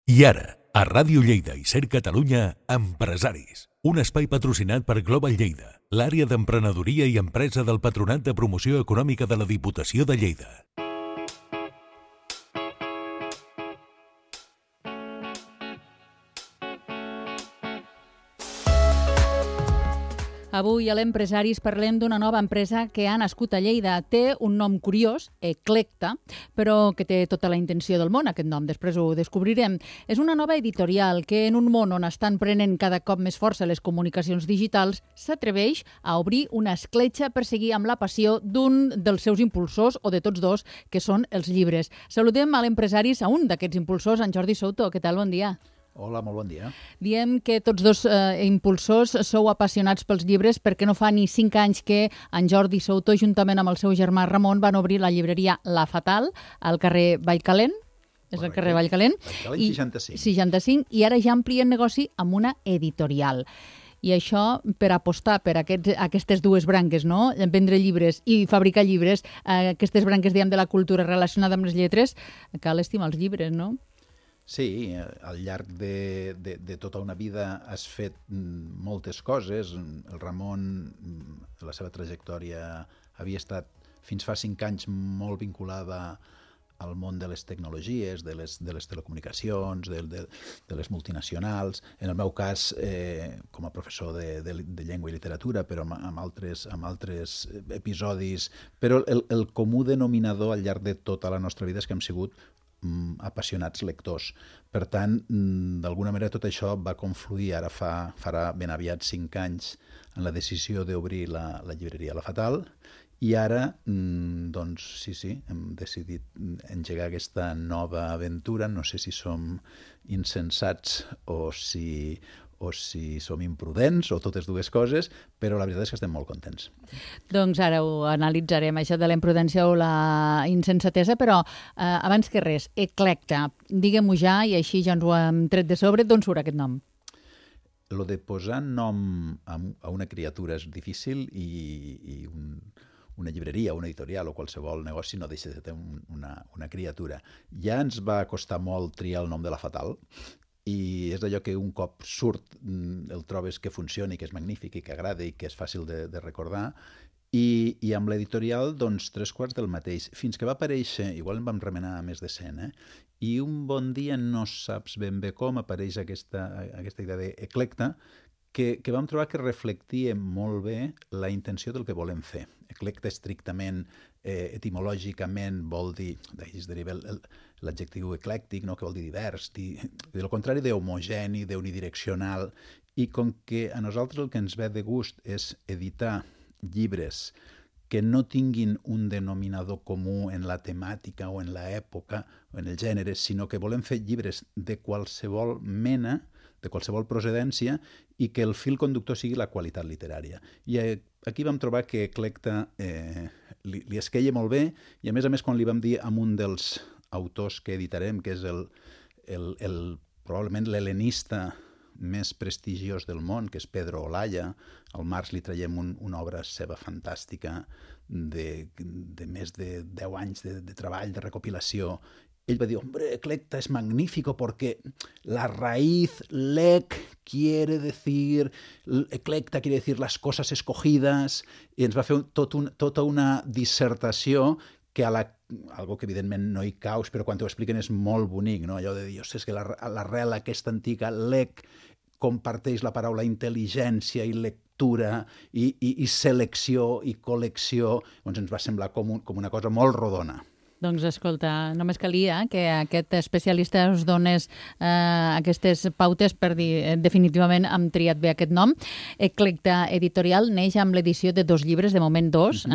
I ara, a Ràdio Lleida i Ser Catalunya, Empresaris. Un espai patrocinat per Global Lleida, l'àrea d'emprenedoria i empresa del Patronat de Promoció Econòmica de la Diputació de Lleida. Avui a l'Empresaris parlem d'una nova empresa que ha nascut a Lleida. Té un nom curiós, Eclecta, però que té tota la intenció del món, aquest nom. Després ho descobrirem. És una nova editorial que, en un món on estan prenent cada cop més força les comunicacions digitals, s'atreveix a obrir una escletxa per seguir amb la passió d'un dels seus impulsors, o de tots dos, que són els llibres. Saludem a l'Empresaris, a un d'aquests impulsors, en Jordi Souto. Què tal? Bon dia. Hola, molt bon dia. Diem que tots dos impulsors sou apassionats pels llibres perquè no fa ni 5 anys que en Jordi Souto, juntament amb el seu germà Ramon, van obrir la llibreria La Fatal al carrer Vallcalent. És el carrer Vallcalent. Vallcalent 65. 65, i ara ja amplien negoci amb una editorial. I això per apostar per aquestes dues branques, no? Vendre llibres i fabricar llibres, aquestes branques, diguem, de la cultura relacionada amb les lletres, cal estimar els llibres, no? Sí, al llarg de tota una vida has fet moltes coses. El Ramon, la seva trajectòria havia estat fins fa 5 anys molt vinculada al món de les tecnologies, de les telecomunicacions, de les multinacionals. En el meu cas, com a professor de llengua i literatura, però amb altres episodis. Però el comú denominador al llarg de tota la nostra vida és que hem sigut apassionats lectors. Per tant, d'alguna manera tot això va confluir, ara farà ben aviat 5 anys, en la decisió d'obrir la llibreria La Fatal, i ara, doncs, sí, hem decidit engegar aquesta nova aventura. No sé si som insensats o si som imprudents, o totes dues coses, però la veritat és que estem molt contents. Doncs ara ho analitzarem, això de la imprudència o la insensatesa, però abans que res, Eclecta, diguem-ho ja, i així ja ens ho hem tret de sobre. D'on surt aquest nom? Lo de posar nom a una criatura és difícil, i una llibreria, una editorial o qualsevol negoci no deixa de ser una criatura. Ja ens va costar molt triar el nom de La Fatal, i és d'allò que un cop surt el trobes que funcioni, que és magnífic i que agrada i que és fàcil de recordar, i amb l'editorial, doncs, 3/4 del mateix. Fins que va aparèixer, igual en vam remenar més de 100, i un bon dia, no saps ben bé com, apareix aquesta idea d'Eclecta, que vam trobar que reflectia molt bé la intenció del que volem fer. Eclecta estrictament, etimològicament, vol dir, d'ahir es deriva l'adjectiu eclèctic, no? Que vol dir divers, del contrari d'homogeni, d'unidireccional, i com que a nosaltres el que ens ve de gust és editar llibres que no tinguin un denominador comú en la temàtica o en l'època o en el gènere, sinó que volem fer llibres de qualsevol mena, de qualsevol procedència, i que el fil conductor sigui la qualitat literària. I aquí vam trobar que Eclecta li esqueia molt bé, i a més, quan li vam dir a un dels autors que editarem, que és probablement l'helenista més prestigiós del món, que és Pedro Olaya, al març li traiem una obra seva fantàstica de més de 10 anys de treball, de recopilació. Ell va dir, hombre, Eclecta es magnífico porque la raíz lec quiere decir, Eclecta quiere decir las cosas escogidas, i ens va fer tota una dissertació que algo que evidentment no hi caus, però quan t'ho expliquen és molt bonic, no? Allò de dir, és que l'arrel aquesta antiga, lec, comparteix la paraula intel·ligència i lectura i selecció i col·lecció. Doncs ens va semblar com una cosa molt rodona. Doncs escolta, només calia que aquest especialista us donés aquestes pautes per dir definitivament hem triat bé aquest nom. Eclecta Editorial neix amb l'edició de 2 llibres, de moment 2.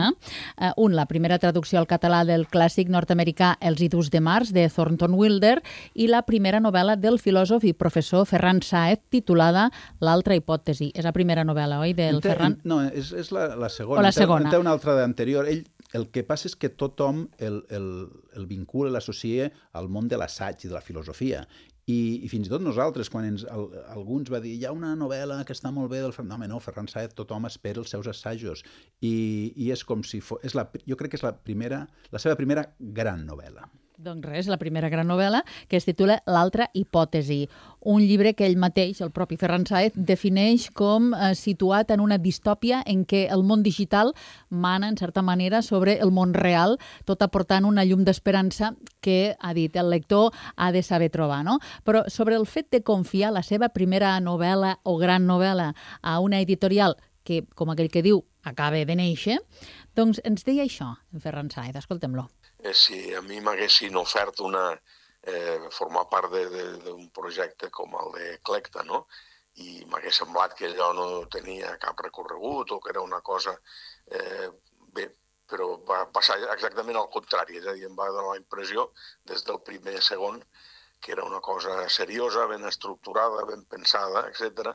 Un, la primera traducció al català del clàssic nord-americà Els idus de març, de Thornton Wilder, i la primera novel·la del filòsof i professor Ferran Sáez, titulada L'altra hipòtesi. És la primera novel·la, oi, del Ferran? No, és la segona. O la segona. En té una altra d'anterior. El que passa és que tothom el vincula, l'associa al món de l'assaig i de la filosofia. I fins i tot nosaltres, quan alguns va dir hi ha una novel·la que està molt bé del Ferran... No, Ferran Sáez, tothom espera els seus assajos. I és com si fos... Jo crec que és la seva primera gran novel·la. Doncs res, la primera gran novel·la, que es titula L'altra hipòtesi, un llibre que ell mateix, el propi Ferran Sáez, defineix com situat en una distòpia en què el món digital mana, en certa manera, sobre el món real, tot aportant una llum d'esperança que, ha dit, el lector ha de saber trobar, no? Però sobre el fet de confiar la seva primera novel·la o gran novel·la a una editorial que, com aquell que diu, acaba de néixer, doncs ens deia això, en Ferran Sáez, escoltem-lo. Si a mi m'haguessin ofert formar part d'un projecte com el de Clecta, no? I m'hagués semblat que allò no tenia cap recorregut o que era una cosa... bé, però va passar exactament al contrari, és a dir, em va donar la impressió des del primer segon que era una cosa seriosa, ben estructurada, ben pensada, etc.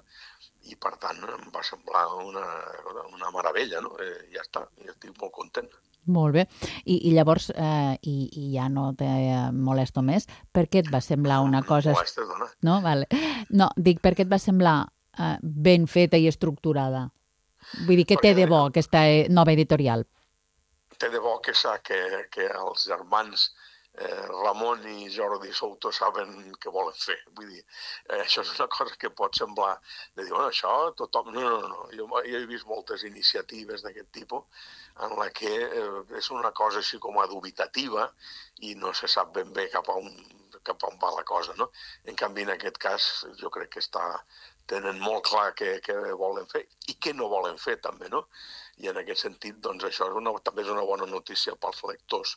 I per tant em va semblar una meravella, no? Ja està, ja estic molt content. Molt bé. I llavors, i ja no te molesto més, per què et va semblar una cosa... No molestes, dona. No? Vale. No, dic, per què et va semblar ben feta i estructurada? Vull dir, què té de bo aquesta nova editorial? Té de bo que els germans Ramon i Jordi Souto saben què volen fer. Vull dir, això és una cosa que pot semblar de dir, bueno, això tothom... No. Jo he vist moltes iniciatives d'aquest tipus en la que és una cosa així com a dubitativa i no se sap ben bé cap a on va la cosa, no? En canvi, en aquest cas, jo crec que tenen molt clar què volen fer i què no volen fer, també, no? I en aquest sentit, doncs, això també és una bona notícia pels lectors,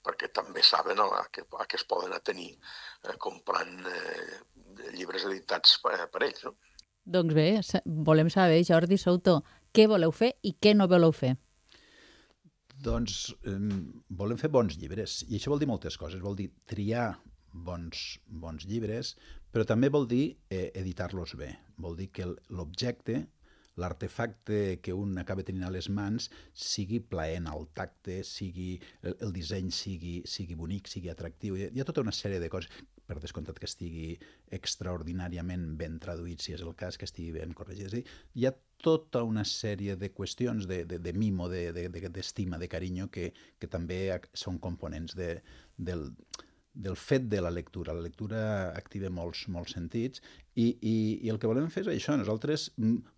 perquè també saben a què es poden atenir comprant llibres editats per ells, no? Doncs bé, volem saber, Jordi Souto, què voleu fer i què no voleu fer? Doncs volem fer bons llibres, i això vol dir moltes coses. Vol dir triar bons llibres, però també vol dir editar-los bé. Vol dir que l'objecte, l'artefacte que un acaba tenint a les mans sigui plaent al tacte, el disseny sigui bonic, sigui atractiu. Hi ha tota una sèrie de coses, per descomptat que estigui extraordinàriament ben traduït, si és el cas, que estigui ben corregit. És a dir, hi ha tota una sèrie de qüestions de mimo, d'estima, de carinyo, que també són components del fet de la lectura. La lectura activa molts sentits i el que volem fer és això. Nosaltres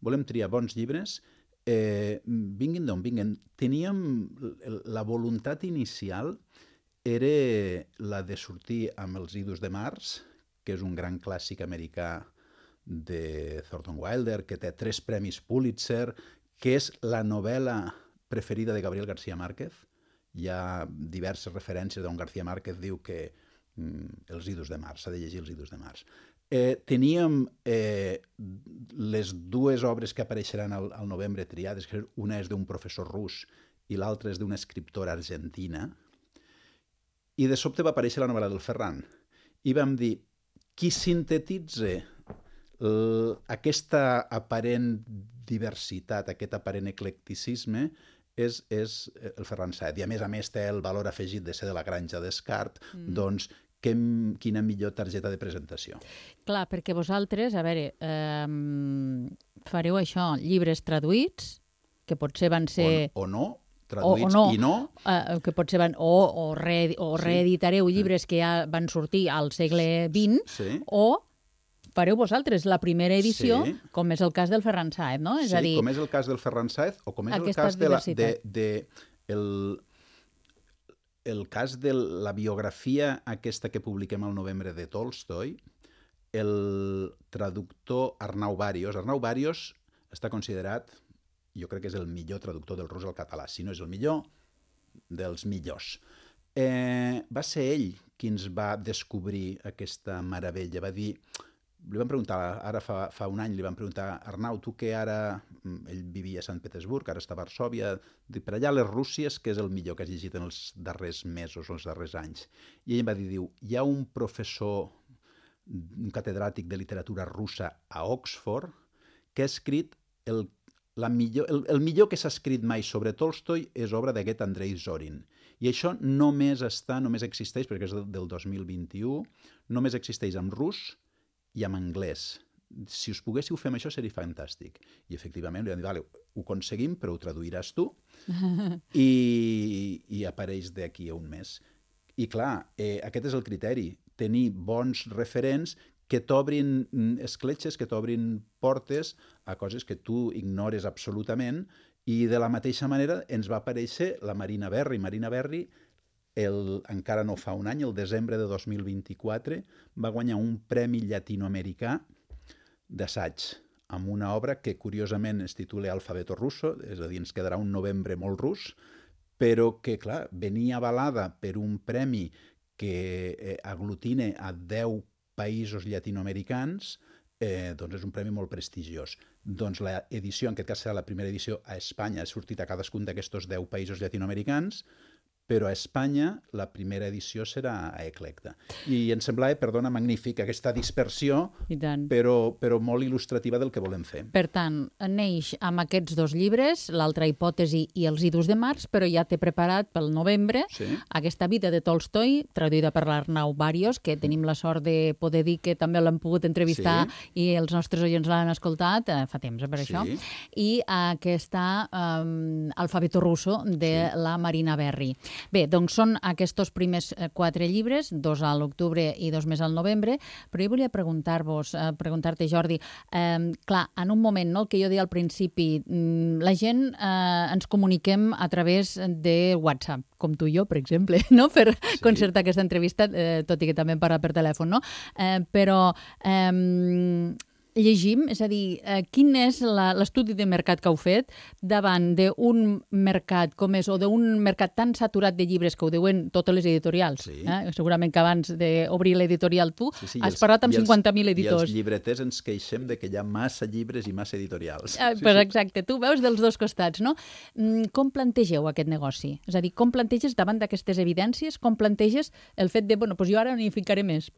volem triar bons llibres, vinguin d'on vinguin. Teníem la voluntat inicial era la de sortir amb Els idus de març, que és un gran clàssic americà de Thornton Wilder, que té 3 premis Pulitzer, que és la novel·la preferida de Gabriel García Márquez. Hi ha diverses referències d'on García Márquez diu que Els idus de març, s'ha de llegir Els idus de març. Teníem les 2 obres que apareixeran al novembre triades, que una és d'un professor rus i l'altra és d'una escriptora argentina, i de sobte va aparèixer la novel·la del Ferran. I vam dir, qui sintetitza aquesta aparent diversitat, aquest aparent eclecticisme, és el Ferran Sáez. I a més té el valor afegit de ser de la Granja d'Escart, doncs quina millor targeta de presentació. Clar, perquè vosaltres, a veure, fareu això, llibres traduïts, que potser van ser... O no, traduïts i no. Que potser van... O reeditareu llibres que ja van sortir al segle XX, o fareu vosaltres la primera edició, com és el cas del Ferran Sáez, no? Sí, com és el cas del Ferran Sáez, o com és el cas de la biografia aquesta que publiquem al novembre de Tolstoi, el traductor Arnau Bàrios. Arnau Bàrios està considerat, jo crec que és el millor traductor del rus al català, si no és el millor, dels millors. Va ser ell qui ens va descobrir aquesta meravella. Va dir, li vam preguntar, ara fa un any, li vam preguntar, Arnau, tu que ara, ell vivia a Sant Petersburg, ara està a Varsòvia, per allà a les Rússies, què és el millor que has llegit en els darrers mesos o els darrers anys? I ell em va dir, hi ha un professor, un catedràtic de literatura russa a Oxford, que ha escrit el millor que s'ha escrit mai sobre Tolstoi és obra d'aquest Andrei Zorin. I això només existeix, perquè és del 2021, només existeix en rus i en anglès. Si us poguéssiu fer això seria fantàstic. I efectivament li van dir, vale, ho aconseguim, però ho traduiràs tu, i apareix d'aquí a un mes. I clar, aquest és el criteri, tenir bons referents que t'obrin escletxes, que t'obrin portes a coses que tu ignores absolutament, i de la mateixa manera ens va aparèixer la Marina Berry. Marina Berry, encara no fa un any, el desembre de 2024, va guanyar un premi llatinoamericà d'assaig, amb una obra que curiosament es titula Alfabeto Russo, és a dir, ens quedarà un novembre molt rus, però que, clar, venia avalada per un premi que aglutina a 10 països llatinoamericans, doncs és un premi molt prestigiós. Doncs l'edició, en aquest cas serà la primera edició a Espanya, ha sortit a cadascun d'aquests 10 països llatinoamericans, però a Espanya la primera edició serà a Eclecta. I em semblava, perdona, magnífic, aquesta dispersió, però molt il·lustrativa del que volem fer. Per tant, neix amb aquests 2 llibres, l'altra hipòtesi i els idus de març, però ja t'he preparat pel novembre aquesta vida de Tolstoi, traduïda per l'Arnau Barrios, que tenim la sort de poder dir que també l'hem pogut entrevistar i els nostres oients l'han escoltat fa temps, per això. I aquesta Alfabeto Russo de la Marina Berry. Bé, doncs són aquests primers 4 llibres, 2 a l'octubre i 2 més al novembre, però jo volia preguntar-te, Jordi, clar, en un moment, no, el que jo deia al principi, la gent ens comuniquem a través de WhatsApp, com tu i jo, per exemple, no? Per concertar aquesta entrevista, tot i que també hem parlat per telèfon, no? Però llegim, és a dir, quin és l'estudi de mercat que heu fet davant d'un mercat com és, o d'un mercat tan saturat de llibres que ho diuen totes les editorials. Segurament que abans d'obrir l'editorial tu has parlat amb 50.000 editors. I els llibreters ens queixem de que hi ha massa llibres i massa editorials. Pues exacte, tu veus dels 2 costats, no? Com plantegeu aquest negoci? És a dir, com planteges davant d'aquestes evidències, com planteges el fet de, bueno, doncs jo ara n'hi ficaré més?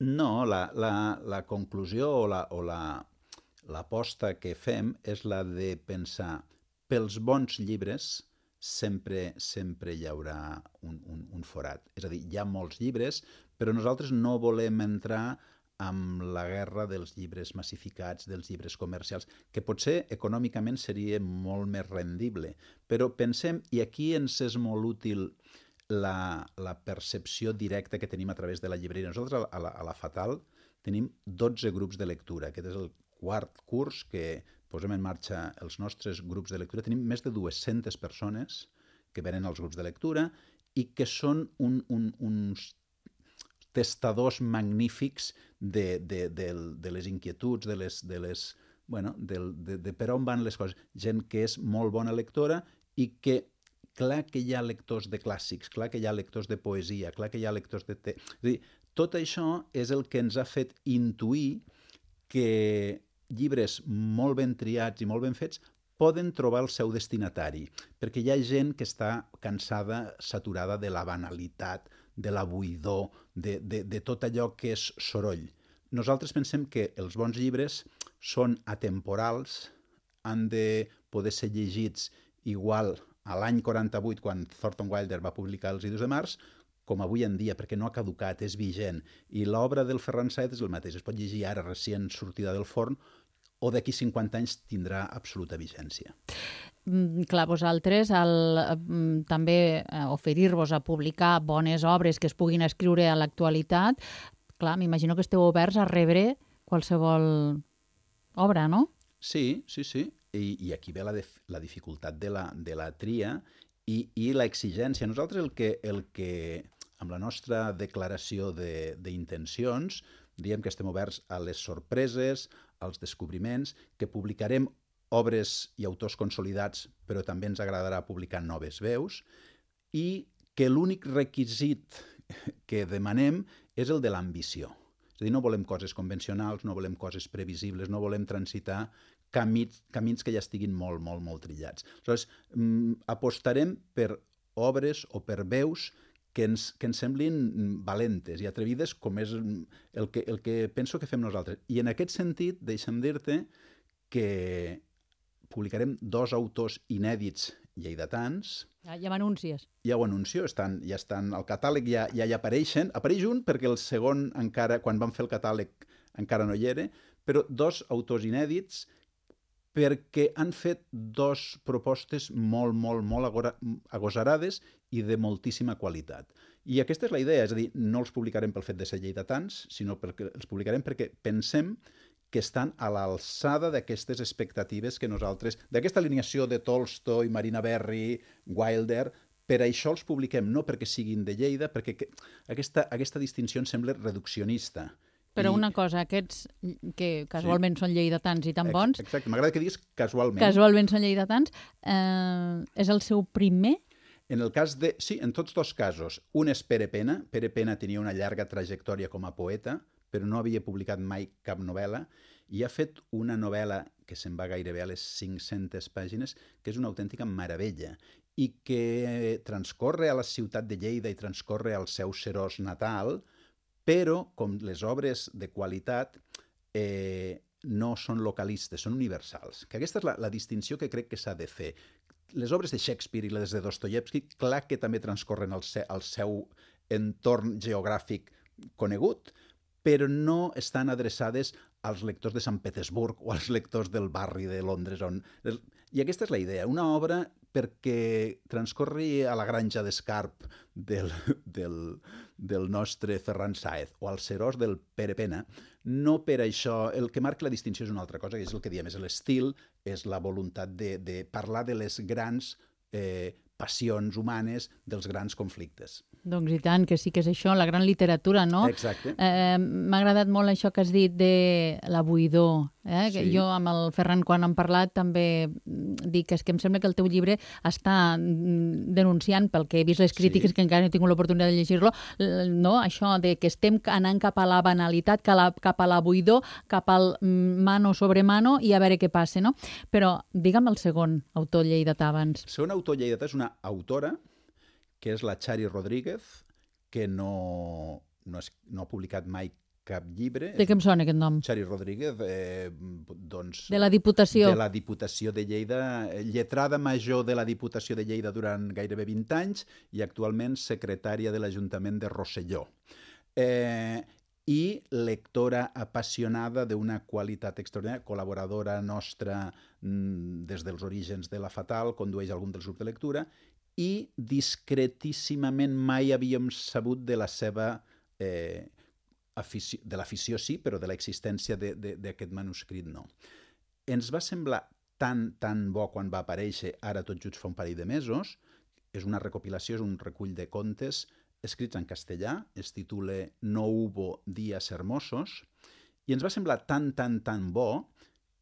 No, la conclusió o l'aposta que fem és la de pensar pels bons llibres sempre hi haurà un forat. És a dir, hi ha molts llibres, però nosaltres no volem entrar amb la guerra dels llibres massificats, dels llibres comercials, que potser econòmicament seria molt més rendible. Però pensem, i aquí ens és molt útil la percepció directa que tenim a través de la llibreria. Nosaltres a la Fatal tenim 12 grups de lectura. Aquest és el 4º curs que posem en marxa els nostres grups de lectura. Tenim més de 200 persones que venen als grups de lectura i que són uns testadors magnífics de les inquietuds, de per on van les coses. Gent que és molt bona lectora i que clar que hi ha lectors de clàssics, clar que hi ha lectors de poesia, clar que hi ha lectors de... És a dir, tot això és el que ens ha fet intuir que llibres molt ben triats i molt ben fets poden trobar el seu destinatari, perquè hi ha gent que està cansada, saturada de la banalitat, de la buidor, de tot allò que és soroll. Nosaltres pensem que els bons llibres són atemporals, han de poder ser llegits igual a l'any 48, quan Thornton Wilder va publicar Els idus de març, com avui en dia, perquè no ha caducat, és vigent. I l'obra del Ferran Saez és el mateix, es pot llegir ara recient sortida del forn, o d'aquí 50 anys tindrà absoluta vigència. Clar, vosaltres, també oferir-vos a publicar bones obres que es puguin escriure a l'actualitat, clar, m'imagino que esteu oberts a rebre qualsevol obra, no? Sí. I aquí ve la dificultat de la tria i l'exigència. Nosaltres el que amb la nostra declaració d'intencions diem que estem oberts a les sorpreses, als descobriments, que publicarem obres i autors consolidats, però també ens agradarà publicar noves veus, i que l'únic requisit que demanem és el de l'ambició. És a dir, no volem coses convencionals, no volem coses previsibles, no volem transitar camins que ja estiguin molt trillats. Aleshores, apostarem per obres o per veus que ens semblin valentes i atrevides, com és el que penso que fem nosaltres. I en aquest sentit, deixa'm dir-te que publicarem 2 autors inèdits lleidatans. Ja m'anuncies. Ja ho anuncio, ja estan al catàleg, ja hi apareixen. Apareix un perquè el segon encara, quan vam fer el catàleg, encara no hi era, però 2 autors inèdits perquè han fet 2 propostes molt agosarades i de moltíssima qualitat. I aquesta és la idea, és a dir, no els publicarem pel fet de ser lleidatans, sinó perquè els publicarem perquè pensem que estan a l'alçada d'aquestes expectatives que nosaltres, d'aquesta alineació de Tolstoi, Marina Berry, Wilder, per això els publiquem, no perquè siguin de Lleida, perquè aquesta distinció em sembla reduccionista. Però una cosa, aquests que casualment són lleidatans i tan bons... Exacte, m'agrada que diguis casualment. Casualment són lleidatans. És el seu primer? En el cas de... Sí, en tots dos casos. Un és Pere Pena. Pere Pena tenia una llarga trajectòria com a poeta, però no havia publicat mai cap novel·la, i ha fet una novel·la que se'n va gairebé a les 500 pàgines, que és una autèntica meravella, i que transcorre a la ciutat de Lleida i transcorre al seu Seròs natal, però, com les obres de qualitat, no són localistes, són universals. Que aquesta és la distinció que crec que s'ha de fer. Les obres de Shakespeare i les de Dostoievski, clar que també transcorren al seu entorn geogràfic conegut, però no estan adreçades als lectors de Sant Petersburg o als lectors del barri de Londres. I aquesta és la idea, una obra perquè transcorri a la granja d'Escarp del nostre Ferran Sáez o al Seròs del Pere Pena, no per això, el que marca la distinció és una altra cosa, que és el que diem, és l'estil, és la voluntat de parlar de les grans passions humanes, dels grans conflictes. Doncs i tant, que sí que és això, la gran literatura, no? Exacte. M'ha agradat molt això que has dit de la buidor. Sí. Jo amb el Ferran, quan hem parlat, també dic que és que em sembla que el teu llibre està denunciant, pel que he vist les crítiques, que encara no he tingut l'oportunitat de llegir-lo, no? Això de que estem anant cap a la banalitat, cap a la buidor, cap al mano sobre mano i a veure què passa, no? Però digue'm el segon autor lleidatà abans. El segon autor lleidatà és una autora que és la Chari Rodríguez, que no ha publicat mai cap llibre. De què em sona aquest nom? Chari Rodríguez, doncs... De la Diputació. De la Diputació de Lleida, lletrada major de la Diputació de Lleida durant gairebé 20 anys i actualment secretària de l'Ajuntament de Rosselló. I lectora apassionada d'una qualitat extraordinària, col·laboradora nostra des dels orígens de la Fatal, condueix algun dels grups de lectura, i discretíssimament mai havíem sabut de la seva afició, de l'afició sí, però de l'existència d'aquest manuscrit no. Ens va semblar tan bo quan va aparèixer, ara tot just fa un parell de mesos. És una recopilació, és un recull de contes escrits en castellà, es titula No hubo días hermosos, i ens va semblar tan bo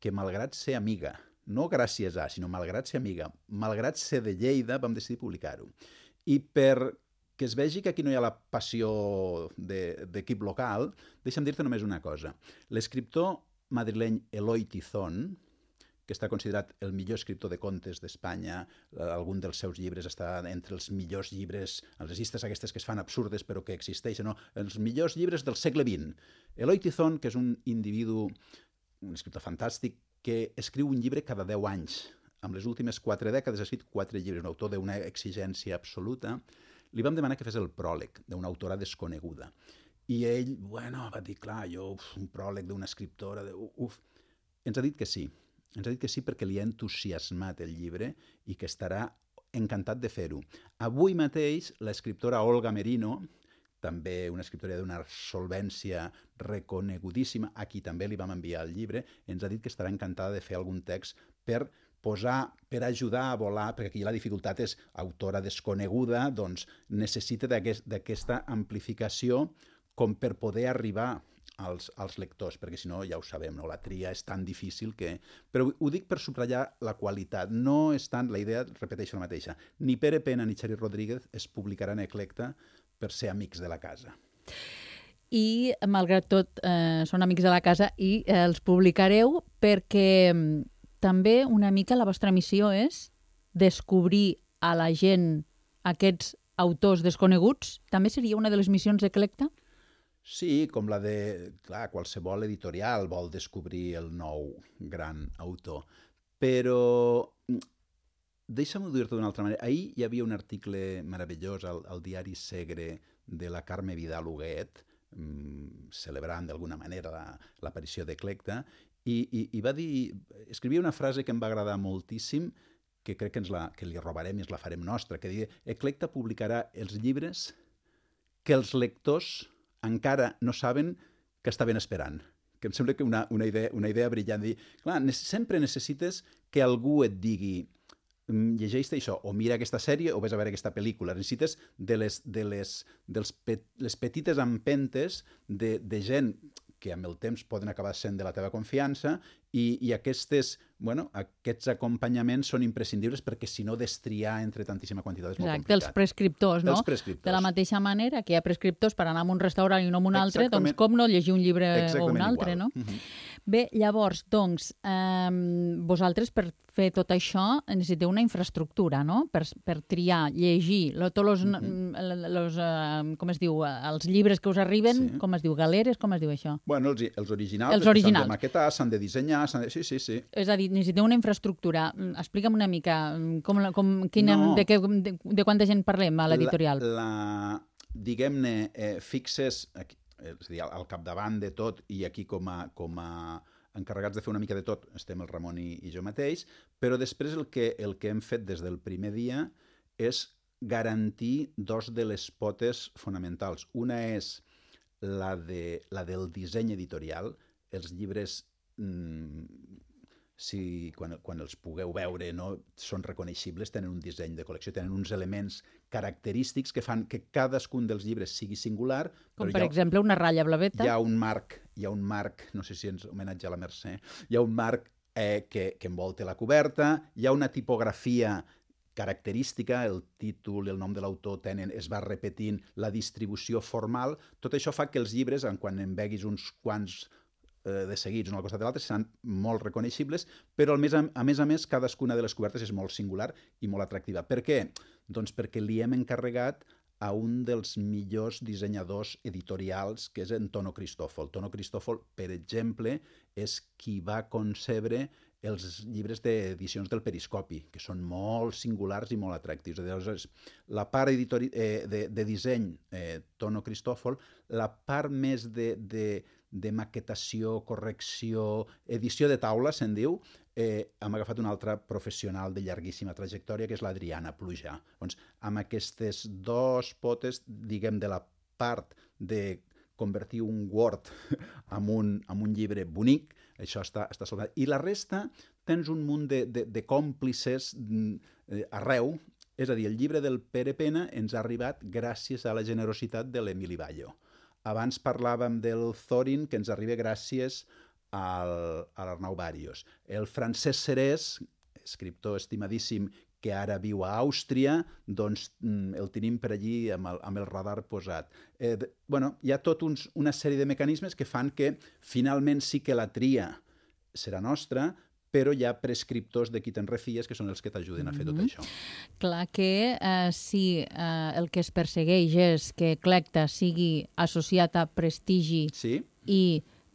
que, malgrat ser amiga, no gràcies a, sinó malgrat ser amiga, malgrat ser de Lleida, vam decidir publicar-ho. I perquè es vegi que aquí no hi ha la passió d'equip local, deixa'm dir-te només una cosa. L'escriptor madrileny Eloi Tizón, que està considerat el millor escriptor de contes d'Espanya, algun dels seus llibres està entre els millors llibres, les llistes aquestes que es fan absurdes però que existeixen, no? Els millors llibres del segle XX. Eloi Tizón, que és un individu, un escriptor fantàstic, que escriu un llibre cada 10 anys. Amb les últimes 4 dècades ha escrit 4 llibres, un autor d'una exigència absoluta. Li vam demanar que fes el pròleg d'una autora desconeguda. I ell, va dir, clar, un pròleg d'una escriptora, Ens ha dit que sí. Ens ha dit que sí perquè li ha entusiasmat el llibre i que estarà encantat de fer-ho. Avui mateix, l'escriptora Olga Merino, també una escriptora d'una solvència reconegudíssima, a qui també li vam enviar el llibre, ens ha dit que estarà encantada de fer algun text per ajudar a volar, perquè aquí la dificultat és autora desconeguda, doncs necessita d'aquesta amplificació com per poder arribar als lectors, perquè si no, ja ho sabem, no? La tria és tan difícil que... Però ho dic per subratllar la qualitat. No és tant, la idea, repeteixo la mateixa, ni Pere Pena ni Chari Rodríguez es publicaran a Eclecta per ser amics de la casa. I, malgrat tot, són amics de la casa i els publicareu perquè també una mica la vostra missió és descobrir a la gent aquests autors desconeguts. També seria una de les missions d'Eclecta? Sí, com la de... Clar, qualsevol editorial vol descobrir el nou gran autor. Però deixa'm dir-te d'una altra manera. Ahir hi havia un article meravellós al diari Segre de la Carme Vidal Huguet, celebrant d'alguna manera l'aparició d'Eclecta, i va dir... Escrivia una frase que em va agradar moltíssim, que crec que li robarem i ens la farem nostra, que diu: Eclecta publicarà els llibres que els lectors encara no saben que estaven esperant. Que em sembla que una idea brillant. Clar, sempre necessites que algú et digui llegeix això, o mira aquesta sèrie o vés a veure aquesta pel·lícula. Necessites de les petites empentes de gent que amb el temps poden acabar sent de la teva confiança i aquests acompanyaments són imprescindibles perquè si no destriar entre tantíssima quantitat és molt complicat. Els prescriptors, no? De la mateixa manera que hi ha prescriptors per anar a un restaurant i no a un altre, doncs com no llegir un llibre o un altre, no? Bé, llavors, doncs, vosaltres per fer tot això necessiteu una infraestructura, no? Per triar, llegir, tots com es diu, els llibres que us arriben, com es diu, galeres, com es diu això? Bueno, els originals s'han de maquetar, s'han de dissenyar, sí. És a dir, necessiteu una infraestructura. Explica'm una mica de quanta gent parlem a l'editorial. Diguem-ne, fixes, és a dir, al capdavant de tot, i aquí com a encarregats de fer una mica de tot estem el Ramon i jo mateix, però després el que hem fet des del primer dia és garantir dos de les potes fonamentals. Una és la del disseny editorial. Els llibres, quan els pugueu veure, no, són reconeixibles, tenen un disseny de col·lecció, tenen uns elements característics que fan que cadascun dels llibres sigui singular. Com per exemple una ratlla blaveta. Hi ha un marc, no sé si ens homenatge a la Mercè, hi ha un marc que envolta la coberta, hi ha una tipografia característica, el títol i el nom de l'autor es va repetint, la distribució formal. Tot això fa que els llibres, quan en veguis uns quants de seguits un al costat de l'altre, seran molt reconeixibles, però a més, cadascuna de les cobertes és molt singular i molt atractiva. Per què? Doncs perquè li hem encarregat a un dels millors dissenyadors editorials, que és en Tono Cristòfol. Tono Cristòfol, per exemple, és qui va concebre els llibres d'edicions del Periscopi, que són molt singulars i molt atractius. Llavors, la part de disseny, Tono Cristòfol, la part més de maquetació, correcció, edició de taula, se'n diu, hem agafat un altre professional de llarguíssima trajectòria, que és l'Adriana Plujà. Doncs, amb aquestes dos potes, diguem, de la part de convertir un Word en un llibre bonic, això està soldat. I la resta tens un munt de còmplices arreu. És a dir, el llibre del Pere Pena ens ha arribat gràcies a la generositat de l'Emili Ballo. Abans parlàvem del Thorin, que ens arriba gràcies a l'Arnau Bàrios. El Francesc Serès, escriptor estimadíssim, que ara viu a Àustria, doncs el tenim per allí amb el radar posat. Hi ha tota una sèrie de mecanismes que fan que finalment sí que la tria serà nostra, però hi ha prescriptors de qui te'n refies que són els que t'ajuden a fer tot això. Clar que si el que es persegueix és que Eclecta sigui associat a prestigi i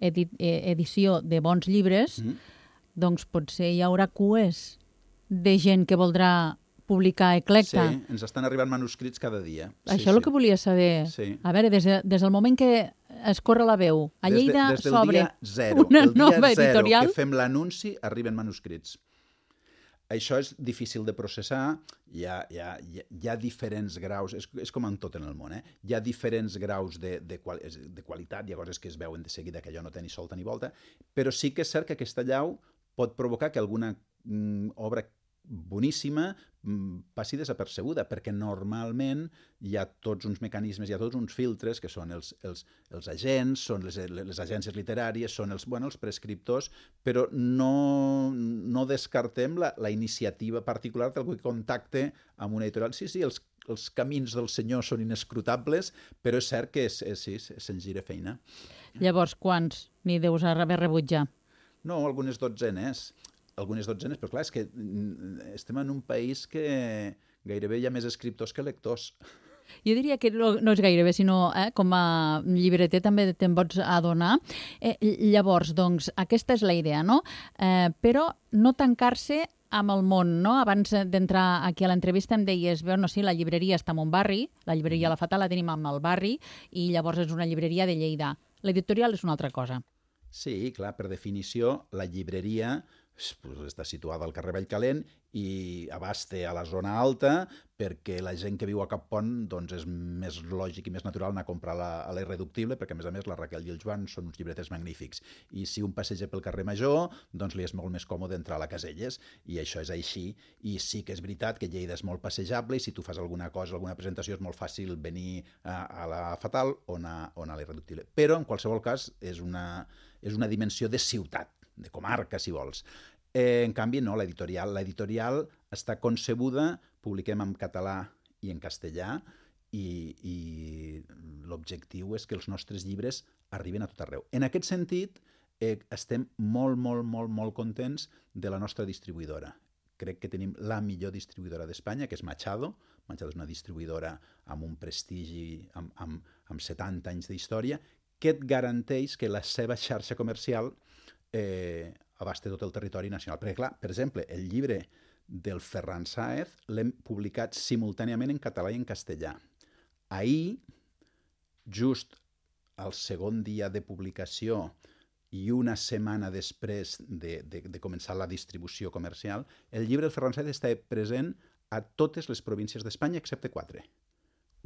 edició de bons llibres, doncs potser hi haurà cues de gent que voldrà publicar Eclecta. Sí, ens estan arribant manuscrits cada dia. Això és el que volia saber. A veure, des del moment que es corre la veu, a Lleida s'obre una nova editorial... Des del dia 0 que fem l'anunci, arriben manuscrits. Això és difícil de processar, hi ha diferents graus, és com en tot en el món, hi ha diferents graus de qualitat, hi ha coses que es veuen de seguida que allò no té ni solta ni volta, però sí que és cert que aquesta allau pot provocar que alguna obra boníssima passi desapercebuda, perquè normalment hi ha tots uns mecanismes, hi ha tots uns filtres, que són els agents, són les agències literàries, són els prescriptors, però no descartem la iniciativa particular d'algú que contacte amb una editorial. Sí, els camins del senyor són inescrutables, però és cert que se'n gira feina. Llavors, quants n'hi deus haver rebut ja? No, algunes dotzenes, però clar, és que estem en un país que gairebé hi ha més escriptors que lectors. Jo diria que no és gairebé, sinó com a llibreter també te'n pots adonar. Llavors, doncs, aquesta és la idea, no? Però no tancar-se amb el món, no? Abans d'entrar aquí a l'entrevista em deies, bueno, sí, la llibreria està en un barri, la llibreria La Fatal la tenim en el barri, i llavors és una llibreria de Lleida. L'editorial és una altra cosa. Sí, clar, per definició, la llibreria està situada al carrer Vallcalent i abasta a la zona alta perquè la gent que viu a Cap Pont doncs és més lògic i més natural anar a comprar a l'Irreductible, perquè a més la Raquel i el Joan són uns llibreters magnífics. I si un passeja pel carrer Major, doncs li és molt més còmode entrar a la Caselles, i això és així. I sí que és veritat que Lleida és molt passejable i si tu fas alguna cosa, alguna presentació, és molt fàcil venir a la Fatal o anar a l'Irreductible. Però, en qualsevol cas, és una dimensió de ciutat, de comarca, si vols. En canvi, no, l'editorial està concebuda, publiquem en català i en castellà, i l'objectiu és que els nostres llibres arriben a tot arreu. En aquest sentit, estem molt, molt, molt, molt contents de la nostra distribuïdora. Crec que tenim la millor distribuïdora d'Espanya, que és Machado. Machado és una distribuïdora amb un prestigi, amb 70 anys d'història, que et garanteix que la seva xarxa comercial abasta tot el territori nacional. Perquè, clar, per exemple, el llibre del Ferran Sáez l'hem publicat simultàniament en català i en castellà. Ahir, just al segon dia de publicació i una setmana després de començar la distribució comercial, el llibre del Ferran Sáez està present a totes les províncies d'Espanya, excepte 4.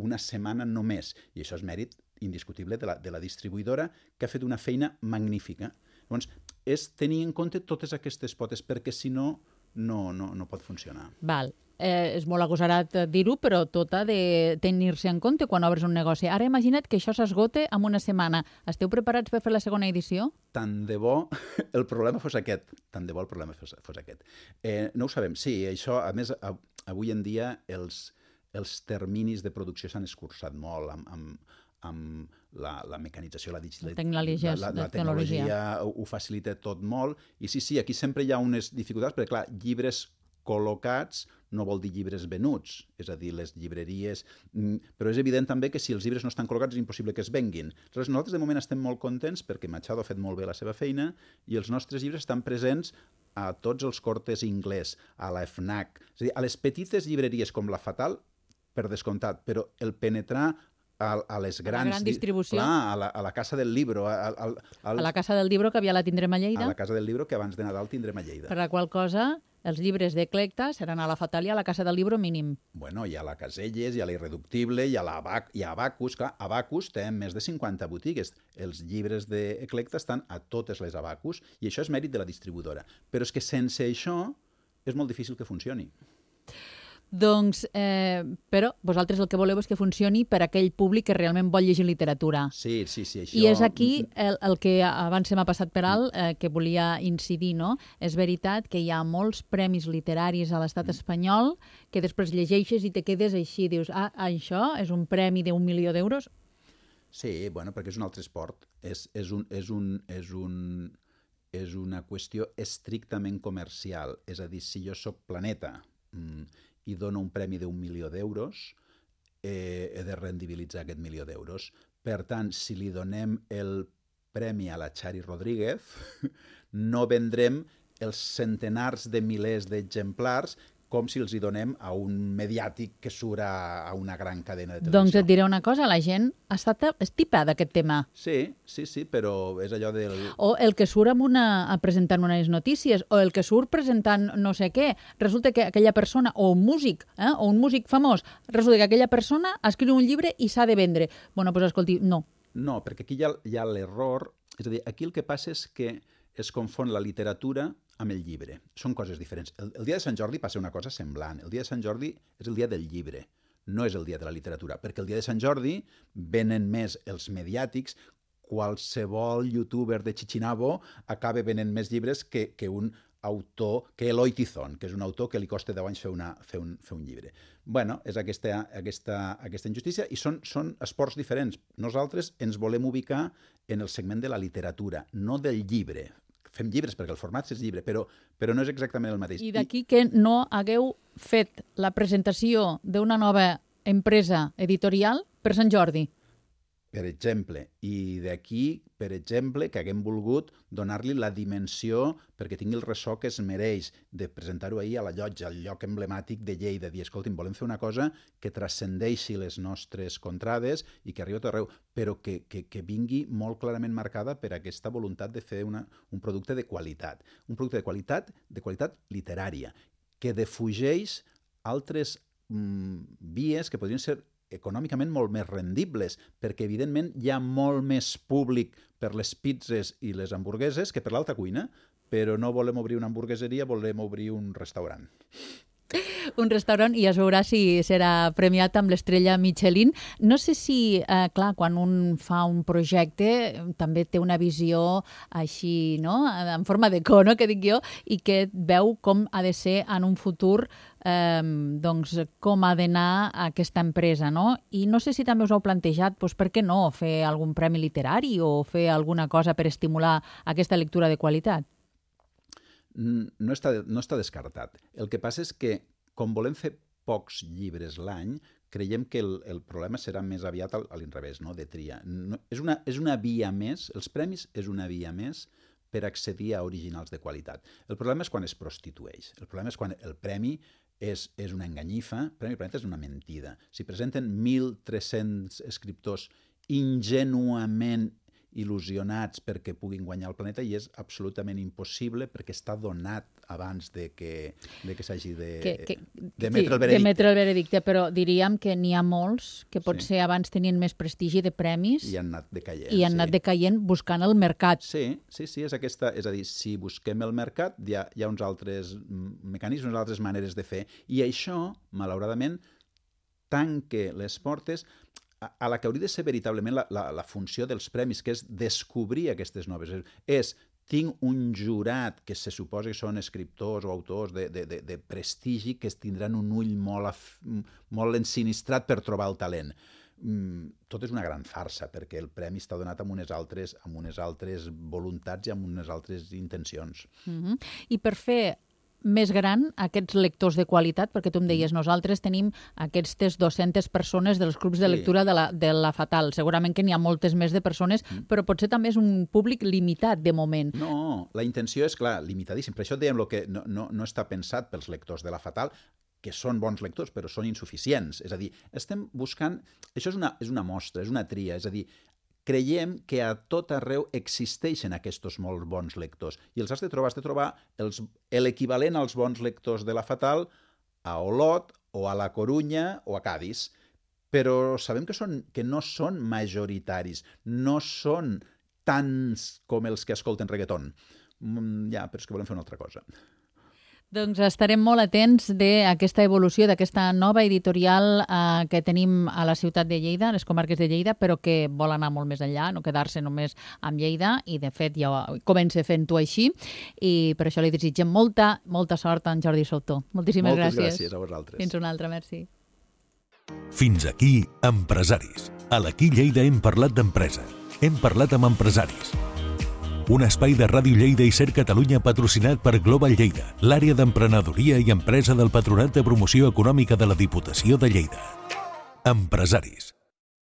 Una setmana només. I això és mèrit indiscutible de la distribuïdora, que ha fet una feina magnífica. Llavors, és tenir en compte totes aquestes potes, perquè si no, no pot funcionar. Val. És molt agosarat dir-ho, però tot ha de tenir-se en compte quan obres un negoci. Ara imagina't que això s'esgote en una setmana. Esteu preparats per fer la segona edició? Tant de bo el problema fos aquest. No ho sabem. Sí, això, a més, avui en dia els terminis de producció s'han escurçat molt amb la mecanització, la digitalització, la tecnologia ho facilita tot molt. I sí, aquí sempre hi ha unes dificultats, perquè, clar, llibres col·locats no vol dir llibres venuts, és a dir, les llibreries... Però és evident també que si els llibres no estan col·locats és impossible que es venguin. Aleshores, nosaltres de moment estem molt contents perquè Machado ha fet molt bé la seva feina i els nostres llibres estan presents a tots els Cortes Inglés, a la FNAC, és a dir, a les petites llibreries com la Fatal, per descomptat, però el penetrar a les grans... A la gran distribució. Clar, a la Casa del Libro. A la Casa del Libro, que aviat la tindrem a Lleida. A la Casa del Libro, que abans de Nadal tindrem a Lleida. Per la qual cosa, els llibres d'Eclecta seran a la Fatal i a la Casa del Libro mínim. Bueno, hi ha la Caselles, hi ha la Irreductible, hi ha Abacus. Clar, Abacus té més de 50 botigues. Els llibres d'Eclecta estan a totes les Abacus i això és mèrit de la distribuïdora. Però és que sense això és molt difícil que funcioni. Doncs, però vosaltres el que voleu és que funcioni per aquell públic que realment vol llegir literatura. Sí, això... I és aquí el que abans se m'ha passat per alt, que volia incidir, no? És veritat que hi ha molts premis literaris a l'estat espanyol que després llegeixes i te quedes així, dius, això és un premi d'1 milió d'euros? Sí, bueno, perquè és un altre esport. És una qüestió estrictament comercial. És a dir, si jo soc Planeta i dono un premi d'1 milió d'euros, he de rendibilitzar aquest 1 milió d'euros. Per tant, si li donem el premi a la Chari Rodríguez, no vendrem els centenars de milers d'exemplars com si els hi donem a un mediàtic que surt a una gran cadena de televisió. Doncs et diré una cosa, la gent ha estat estipada d'aquest tema. Sí, però és allò del... O el que surt presentant unes notícies, o el que surt presentant no sé què. Resulta que aquella persona, o un músic famós, resulta que aquella persona escriu un llibre i s'ha de vendre. Bueno, doncs escolti, no. No, perquè aquí hi ha l'error. És a dir, aquí el que passa és que es confon la literatura amb el llibre. Són coses diferents. El dia de Sant Jordi passa una cosa semblant. El dia de Sant Jordi és el dia del llibre, no és el dia de la literatura, perquè el dia de Sant Jordi venen més els mediàtics, qualsevol youtuber de Chichinabo acaba venent més llibres que un autor, que Eloi Tizón, que és un autor que li costa 10 anys fer un llibre. Bueno, és aquesta injustícia i són esports diferents. Nosaltres ens volem ubicar en el segment de la literatura, no del llibre. Fem llibres perquè el format és llibre, però no és exactament el mateix. I d'aquí que no hagueu fet la presentació d'una nova empresa editorial per Sant Jordi? per exemple, i d'aquí, per exemple, que haguem volgut donar-li la dimensió perquè tingui el ressò que es mereix, de presentar-ho ahir a la Llotja, al lloc emblemàtic de Lleida, dir, escolti'm, volem fer una cosa que transcendeixi les nostres contrades i que arribi a tot arreu, però que vingui molt clarament marcada per aquesta voluntat de fer un producte de qualitat. Un producte de qualitat literària, que defugeix altres vies que podrien ser econòmicament molt més rendibles, perquè evidentment hi ha molt més públic per les pizzas i les hamburgueses que per l'alta cuina, però no volem obrir una hamburgueseria, volem obrir un restaurant. Un restaurant i es veurà si serà premiat amb l'estrella Michelin. No sé si, clar, quan un fa un projecte també té una visió així, no?, en forma de cono, que dic jo, i que veu com ha de ser en un futur, doncs, com ha d'anar aquesta empresa, no? I no sé si també us heu plantejat, doncs, per què no fer algun premi literari o fer alguna cosa per estimular aquesta lectura de qualitat? No està descartat. El que passa és que, com volem fer pocs llibres l'any, creiem que el problema serà més aviat a l'inrevés, no?, de tria. És una via més, els premis és una via més per accedir a originals de qualitat. El problema és quan es prostitueix. El problema és quan el premi és una enganyifa, el Premi Planeta és una mentida. Si presenten 1.300 escriptors ingenuament il·lusionats perquè puguin guanyar el Planeta, i és absolutament impossible perquè està donat abans de que s'hagi d'emetre el veredicte. D'emetre el veredicte, però diríem que n'hi ha molts que potser abans tenien més prestigi de premis i han anat decaient. I han anat decaient buscant el mercat. Sí, és aquesta. És a dir, si busquem el mercat, hi ha uns altres mecanismes, unes altres maneres de fer. I això, malauradament, tanca les portes a la que hauria de ser veritablement la funció dels premis, que és descobrir aquestes noves. Tinc un jurat que se suposa que són escriptors o autors de prestigi que tindran un ull molt ensinistrat per trobar el talent. Tot és una gran farsa, perquè el premi està donat amb unes altres voluntats i amb unes altres intencions. I per fer més gran aquests lectors de qualitat, perquè tu em deies, nosaltres tenim aquestes 200 persones dels clubs de lectura de la Fatal. Segurament que n'hi ha moltes més de persones, però potser també és un públic limitat de moment. No, la intenció és, clar, limitadíssim. Per això dèiem que no està pensat pels lectors de la Fatal, que són bons lectors, però són insuficients. És a dir, estem buscant... Això és una mostra, és una tria, és a dir, creiem que a tot arreu existeixen aquests molt bons lectors i els has de trobar l'equivalent als bons lectors de la Fatal a Olot o a la Corunya o a Cadis, però sabem que no són majoritaris, no són tants com els que escolten reggaeton. Ja, però és que volem fer una altra cosa. Doncs estarem molt atents d'aquesta evolució, d'aquesta nova editorial que tenim a la ciutat de Lleida, a les comarques de Lleida, però que vol anar molt més enllà, no quedar-se només amb Lleida, i de fet ja comença fent-ho així, i per això li desitgem molta sort a en Jordi Soutó. Moltíssimes gràcies. Moltes gràcies a vosaltres. Fins una altra, merci. Fins aquí, Empresaris. A l'Aquí Lleida hem parlat d'empresa. Hem parlat amb empresaris. Un espai de Ràdio Lleida i Ser Catalunya patrocinat per Global Lleida, l'àrea d'emprenedoria i empresa del Patronat de Promoció Econòmica de la Diputació de Lleida. Empresaris.